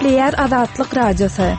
Gepleýär Azatlyk Radiosy.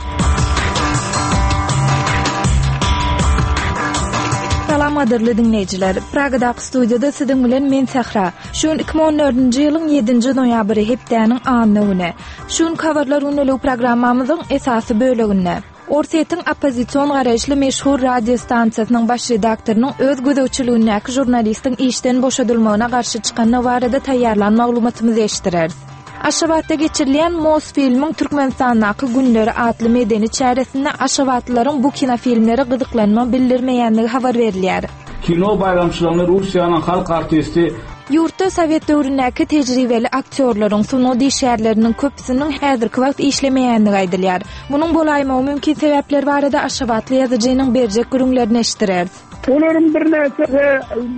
Salam gadyrly diňleýjiler. Pragadaky studiýada siziň bilen men Sähra. Şu gün 2014-nji ýylyň 7-nji noýabry hepdäniň anna güni. Şu günki habarlar gündeligi programmamyzyň esasy böleginde Orsýetiň oppozision garaýyşly meşhur radio stansiýasynyň baş redaktorynyň öz gözegçiligindäki žurnalistiň işden boşadylmagyna garşy çykandygy barada taýýarlan maglumatymyzy eşitdireris. Aşgabatda geçirilýän Mosfilmiň Türkmenistandaky günleri atly medeni çäresinde aşgabatlylaryň bu kinofilmlere gyzyklanma bildirmeýändigi habar berilýär. Kino baýramçylygyny Russiýanyň halk artisti Ýurtda sowet döwründäki tejribeli aktýorlaryň, sungat işgärleriniň köpüsiniň häzirki wagt işlemeýändigi aýdylýar. Munuň bolaýmagy mümkin sebäpleri barada aşgabatly ýazyjynyň berjek gürrüňlerini eşitdireris. Olaryň birnäçesi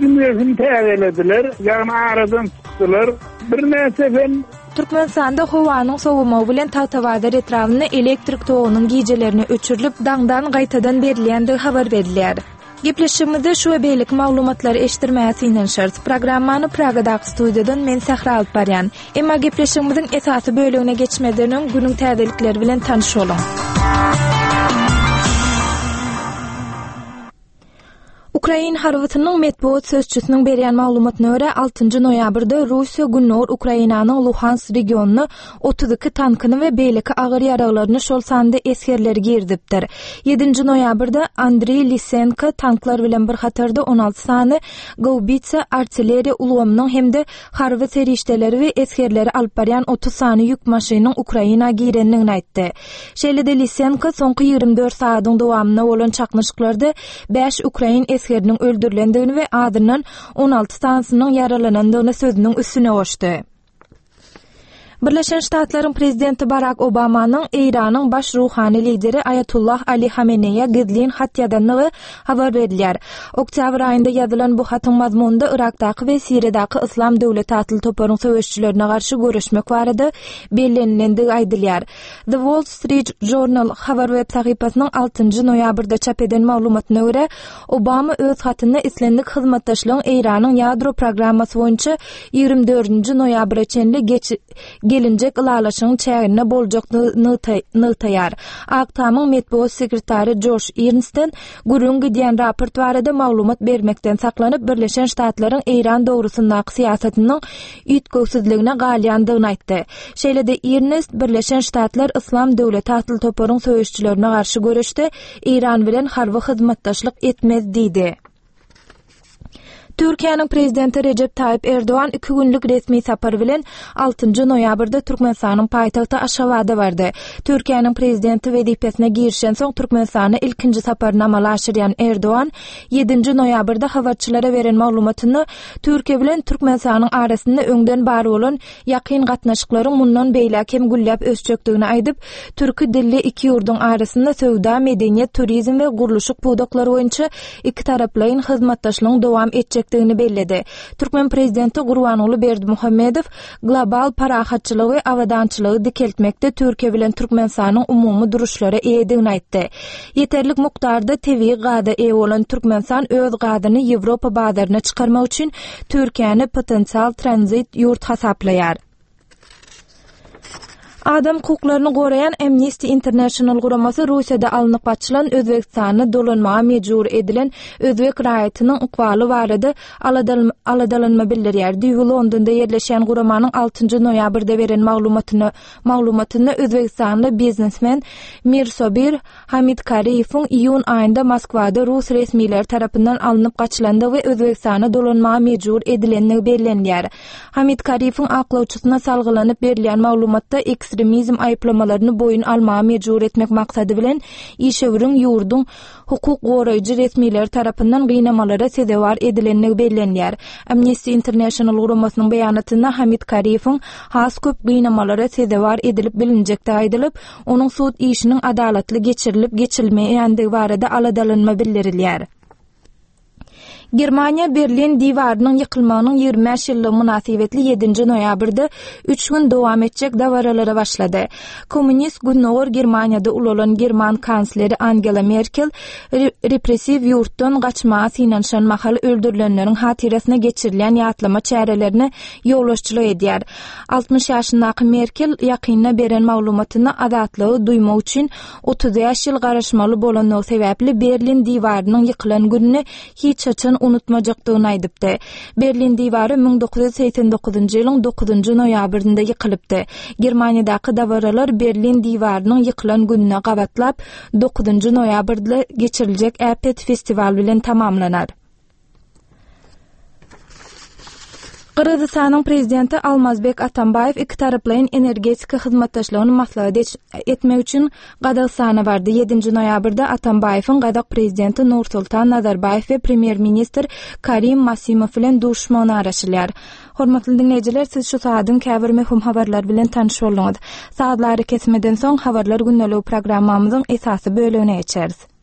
dünýesini täzelediler, ýagny aradan çykdylar. Birnäçesem Türkmenistanda howanyň sowamagy bilen Tagtabazar etrabynda elektrik togunyň gijelerine öçürilip, daňdan gaýtadan berilýändigi habar berilýär. Gepleşigimizde şu we beýleki maglumatlary eşitdirmäge synanyşarys. Programmany Pragadaky studiýadan men Sähra alyp barýan. Emma gepleşigimiziň esasy bölegine geçmezden öň günüň täzelikleri bilen tanyş boluň. Ukrain harbysynyň metbugat sözçüsiniň berýän maglumatyna görä, altynjy noýabrda Russiýa gündogar Ukrainanyň Luhansk regionyna 32 tankyny we beýleki agyr ýaraglaryny, şol sanda esgerleri girizipdir. Ýedinji noýabrda Andriý Lisenko tanklar bilen bir hatarda 16 sany gaubitsa artilleriýa ulgamynyň hem-de harby serişdeleri we esgerleri alyp barýan 30 sany ýük maşynyň Ukraina girendigini aýtdy. Şeýle-de Lisenko soňky 24 sagadyň dowamynda bolan çaknyşyklarda bäş ukrain esgeriniň öldürilendigini we azyndan 16 sanysynyň ýaralanandygyny sözüniň üstüne goşdy. Birleşen Ştatlaryň prezidenti Barak Obamanyň Eýranyň baş ruhany lideri Aýatullah Ali Hameneýe gizlin hat ýazandygy habar berilýär. Oktýabr aýynda ýazylan bu hatyň mazmunynda Yrakdaky we Siriýadaky Yslam döwleti atly toparyň söweşijilerine garşy göreşmek barada bellenilendigi aýdylýar. The Wall Street Journal habar web sahypasynyň altynjy noýabrda çap eden maglumatyna görä, Obama öz hatynda islendik hyzmatdaşlygyň Eýranyň ýadro programmasy boýunça 24-nji noýabra çenli geç gelinjek ylalaşygyň çäginde boljakdygyny nygtaýar. Ak Tamyň metbugat sekretary Joş Irnsten gürrüň gidýän raport barada maglumat bermekden saklanyp, Birleşen Ştatlaryň Eýran dogrusyndaky syýasatynyň üýtgewsizligine galýandygyny aýtdy. Şeýle-de Irnest Birleşen Ştatlar Yslam döwleti atly toparyň söweşijilerine garşy göreşde Eýran bilen harby hyzmatdaşlyk etmez diýdi. Türkiýäniň Prezidenti Rejep Taýyp Erdogan iki günlük resmi sapar bilen altynjy noýabrda Türkmenistanyň paýtagty Aşgabada bardy. Türkiýäniň Prezidenti wezipesine girişensoň Türkmenistana ilkinji saparyny amala aşyrýan Erdogan ýedinji noýabrda habarçylara beren maglumatynda Türkiýe bilen Türkmenistanyň arasynda öňden bar bolan ýakyn gatnaşyklaryň mundan beýläk hem gülläp ösjekdigini aýdyp, türki dilli iki ýurduň arasynda söwda, medeniýet, turizm we gurluşyk pudaklary boýunça ikitaraplaýyn hyzmatdaşlygyň dowam etjekdigini belledi. Türkmen prezidenti Gurbanguly Berdimuhamedow global parahatçylygy we abadançylygy dikeltmekde Türkiýe bilen Türkmenistanyň umumy duruşlara eýedigini aýtdy. Ýeterlik mukdarda tebigy gaza eýe bolan Türkmenistan öz gazyny Ýewropa bazaryna çykarmak üçin Türkiýäni potensial tranzit ýurt hasaplaýar. Adam hukuklaryny goraýan Amnesty International guramasy Russiýada alnyp gaçylan Özbegistana dolanmaga mejbur edilen özbek raýatynyň ykbaly barada aladalanma bildirýär. Düýbi Londonda ýerleşýän guramanyň altynjy noýabrda beren maglumatyna maglumatynda özbegistanly biznesmen Mirsobir Hamidkariýewiň iýun aýynda Moskwada rus resmileri tarapyndan alnyp gaçylandygy we Özbegistana dolanmaga mejbur edilendigi bellenilýär. Hamidkariýewiň aklawçysyna salgylanyp berilýän maglumatda ekstremizm aýyplamalaryny boýun almaga mejbur etmek maksady bilen işewüriň ýurduň hukuk goraýjy resmileri tarapyndan gynamalara sezewar edilendigi bellenilýär. Amnesty International guramasynyň beýanatynda Hamid Kariýewiň has köp gynamalara sezewar edilip bilinjekdigi aýdylyp, onuň sud işiniň adalatly geçirilip-geçirilmeýändigi barada aladalanma bildirilýär. Germaniýa Berlin diwarynyň ýykylmagynyň 25 ýyllygy mynasybetli ýedinji noýabrda üç gün dowam etjek dabaralara başlady. Kommunist Gündogar Germaniýada ulalan german kansleri Angela Merkel repressiw ýurtdan gaçmaga synanyşan mahaly öldürilenleriň hatyrasyna geçirilýän ýatlama çärelerine ýolbaşçylyk edýär. 60 ýaşyndaky Merkel ýakynda beren maglumatynda azatlygy duýmak üçin 35 ýyl garaşmaly bolandygy sebäpli Berlin diwarynyň ýykylan gününi hiç haçan unutmajakdygyny aýdypdy. Berlin diwary 1989-njy ýylyň dokuzynjy noýabrynda ýykylypdy. Germaniýadaky dabaralar Berlin diwarynyň ýykylan gününe gabatlap, dokuzynjy noýabrda geçiriljek äpet festiwal bilen tamamlanar. Gyrgyzystanyň Prezidenti Almazbek Atambaýew ikitaraplaýyn energetika hyzmatdaşlygyny maslahat etmek üçin Gazagystana bardy. Ýedinji noýabrda Atambaýewiň gazak Prezidenti Nursultan Nazarbaýew we Premýer-ministr Karim Masimow bilen duşuşmagyna garaşylýar. Hormatly diňleýjiler, siz şu sagadyň käbir möhüm habarlary bilen tanyş bolduňyz. Sazly arakesmeden soň Habarlar gündeligi programmamyzyň esasy bölegine geçeris.